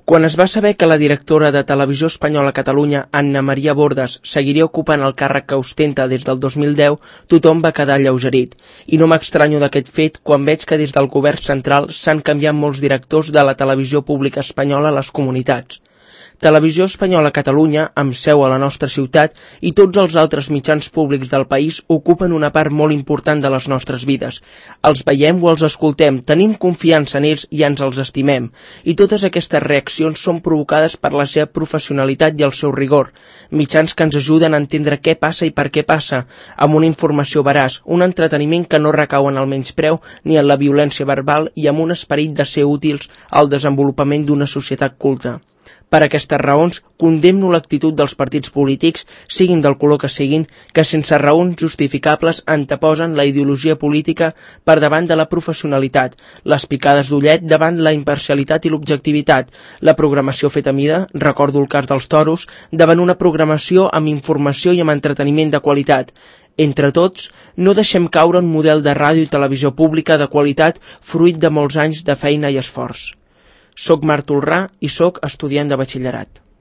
Quan es va saber que la directora de Televisió Espanyola a Catalunya, Anna Maria Bordas, seguiria ocupant el càrrec que ostenta des del 2010, tothom va quedar alleugerit. I no m'estranyo d'aquest fet quan veig que des del govern central s'han canviat molts directors de la televisió pública espanyola a les comunitats. Televisió Espanyola a Catalunya, amb seu a la nostra ciutat, i tots els altres mitjans públics del país ocupen una part molt important de les nostres vides. Els veiem o els escoltem, tenim confiança en ells i ens els estimem. I totes aquestes reaccions són provocades per la seva professionalitat i el seu rigor. Mitjans que ens ajuden a entendre què passa i per què passa, amb una informació veraç, un entreteniment que no recau en el menyspreu ni en la violència verbal i amb un esperit de ser útils al desenvolupament d'una societat culta. Per aquestes raons, condemno l'actitud dels partits polítics, siguin del color que siguin, que sense raons justificables anteposen la ideologia política per davant de la professionalitat, les picades d'ullet davant la imparcialitat i l'objectivitat, la programació feta a mida, recordo el cas dels toros, davant una programació amb informació i amb entreteniment de qualitat. Entre tots, no deixem caure un model de ràdio i televisió pública de qualitat fruit de molts anys de feina i esforç. Soc Marc Tolrà i soc estudiant de batxillerat.